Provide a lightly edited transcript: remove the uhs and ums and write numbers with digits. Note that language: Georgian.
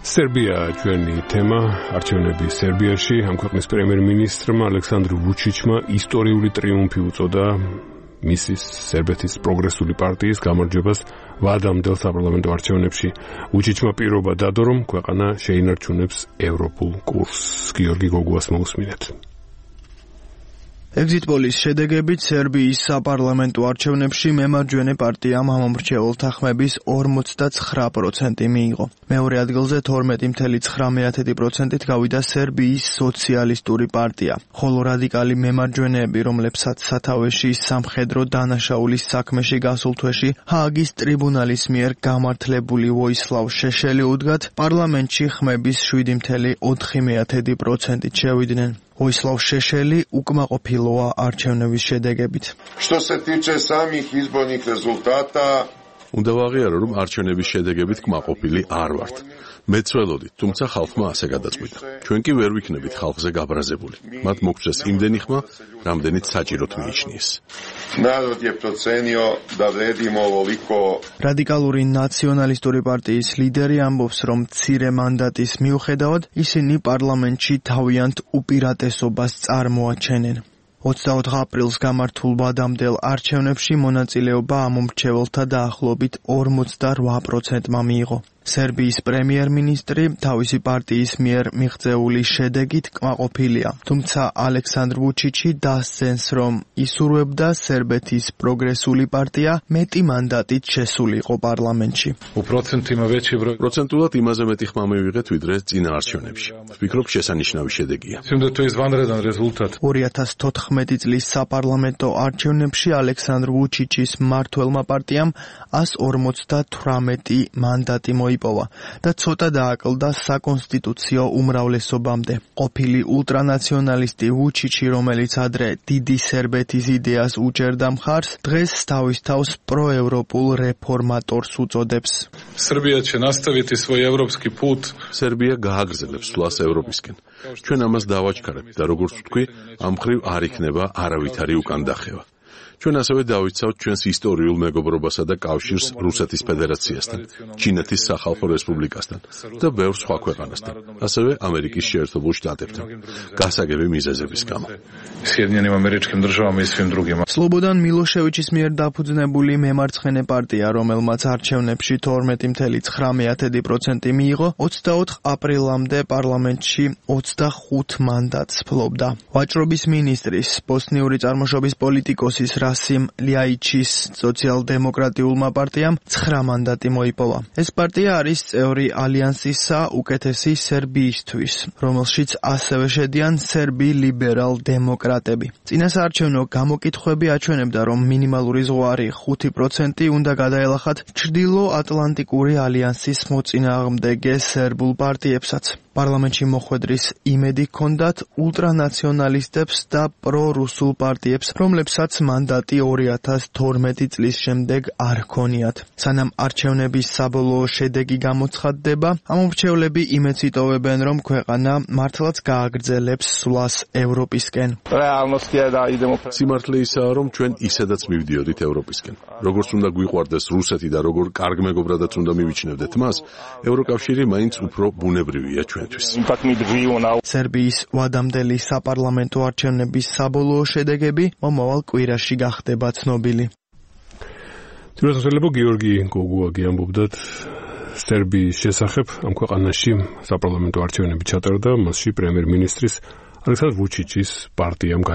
სერბია ჩვენი თემა, არჩევნები სერბიაში, ამ ქვეყნის პრემიერ-მინისტრმა ალექსანდრ ვუჩიჩმა ისტორიული ტრიუმფი უწოდა მისის სერბეთის პროგრესული პარტიის გამარჯვებას ვადამდელ საპარლამენტო არჩევნებში. ვუჩიჩმა პირობა დადო, რომ ქვეყანა შეინარჩუნებს ევროპულ კურსს. გიორგი გოგუას მოусმინეთ. Exit polls შედეგებით სერბიის საპარლამენტო არჩევნებში მემარჯვენე პარტიამ ამომრჩეველთა ხმების 59% მიიღო. მეორე ადგილზე 12.9%-ით გავიდა სერბიის სოციალისტური პარტია, ხოლო რადიკალი მემარჯვენეები, რომლებსაც სათავეში სამხედრო დანაშაულის საქმეში გასულ თვეში ჰააგის ტრიბუნალის მიერ გამართლებული ვოისლავ შეშელი უდგათ, პარლამენტში ხმების 7.4%-ით შევიდნენ. ვოისლავ შეშელი უკმაყოფილოა არჩევნების შედეგებით. Что се тиче самих изборных результата, უნდა ვაღიარო, რომ არჩევნების შედეგებით კმაყოფილი არ ვართ. მეც ველოდით, თუმცა ხალხმა ასე გადაწყვიტა. ჩვენ კი ვერ ვიქნებით ხალხზე გაბრაზებული. მათ მოგწეს იმდენი ხმა, რამდენიც საჭიროდ მიიჩნიეს. народ je procenio da vredimo ovoliko. რადიკალური ნაციონალისტური პარტიის ლიდერი ამბობს, რომ მცირე მანდატის მიუხედავად ისინი პარლამენტში თავიანთ უპირატესობას წარმოაჩენენ. 24 აპრილს გამართულ ვადამდელ არჩევნებში მონაწილეობა ამომრჩეველთა დაახლოებით 48%-მა მიიღო. სერბიის პრემიერ-მინისტრი თავისი პარტიის მიერ მიღწეული შედეგით კმაყოფილია, თუმცა ალექსანდრ ვუჩიჩი დასცენს, რომ ისურვებდა სერბეთის პროგრესული პარტია მეტი მანდატით შესულიყო პარლამენტში. პროცენტულად იმაზე მეტი ხმა მივიღეთ, ვიდრე წინა არჩევნებში. ვფიქრობ, შესანიშნავი შედეგია. 2014 წლის საპარლამენტო არჩევნებში ალექსანდრ ვუჩიჩის მმართველმა პარტიამ 158 მანდატი მოიპოვა და ცოტა დააკლდა საკონსტიტუციო უმრავლესობამდე. ყოფილი ულტრანაციონალისტი ვუჩიჩი, რომელიც ადრე დიდი სერბეთის იდეას უჭერდა მხარს, დღეს თავის თავს პროევროპულ რეფორმატორს უწოდებს. სერბია გააგრძელებს სვლას ევროპისკენ. ჩვენ ამას დავაჩქარებთ და როგორც ვთქვი, ამ მხრივ არ იქნება არავითარი უკან დახევა. ჩვენ ასევე დავიცავთ ჩვენს ისტორიულ მეგობრობასა და კავშირს რუსეთის ფედერაციასთან, ჩინეთის სახალხო რესპუბლიკასთან და ბევრ სხვა ქვეყანასთან, ასევე ამერიკის შეერთებულ შტატებთან, გასაგები მიზეზების გამო. სლობოდან მილოშევიჩის მიერ დაფუძნებული მემარცხენე პარტია, რომელმაც არჩევნებში 12.9% მიიღო, 24 აპრილამდე პარლამენტში 25 მანდატს ფლობდა. ვაჭრობის მინისტრის, ბოსნიური წარმოშობის პოლიტიკოსის რასიმ ლიაიჩის სოციალ-დემოკრატიულმა პარტიამ 9 მანდატი მოიპოვა. ეს პარტია არის წევრი ალიანსისა უკეთესი სერბიისთვის, რომელშიც ასევე შედიან სერბი ლიბერალ-დემოკრატები. წინასაარჩევნო გამოკითხვები აჩვენებდა, რომ მინიმალური ზღვარი 5% უნდა გადაელახათ ჩრდილო-ატლანტიკური ალიანსის მოწინააღმდეგე სერბულ პარტიებსაც. პარლამენტში მოხვედრის იმედი ჰქონდათ ულტრანაციონალისტებს და პრორუსულ პარტიებს, რომლებსაც მანდატი 2012 წლის შემდეგ არ ჰქონიათ. სანამ არჩევნების საბოლოო შედეგი გამოცხადდება, ამომრჩევლები იმედს იტოვებენ, რომ ქვეყანა მართლაც გააგრძელებს სვლას ევროპისკენ. სიმართლე ისაა, რომ ჩვენ ისედაც მივდიოდით ევროპისკენ. როგორც უნდა გვიყვარდეს რუსეთი და როგორ კარგ მეგობრადაც უნდა მივიჩნევდეთ მას, ევროკავშირი მაინც უფრო ბუნებრივია ჩვენ. სერბიის ვადამდელი საპარლამენტო არჩევნების საბოლოო შედეგები მომავალ კვირაში გახდება ცნობილი. თვითონ გიორგი გოგუაგი ამბობდათ სერბიის შესახებ, ამ ქვეყანაში საპარლამენტო არჩევნები ჩატარდა, მასში პრემიერ-მინისტრის ალექსანდრ ვუჩიჩის პარტიამ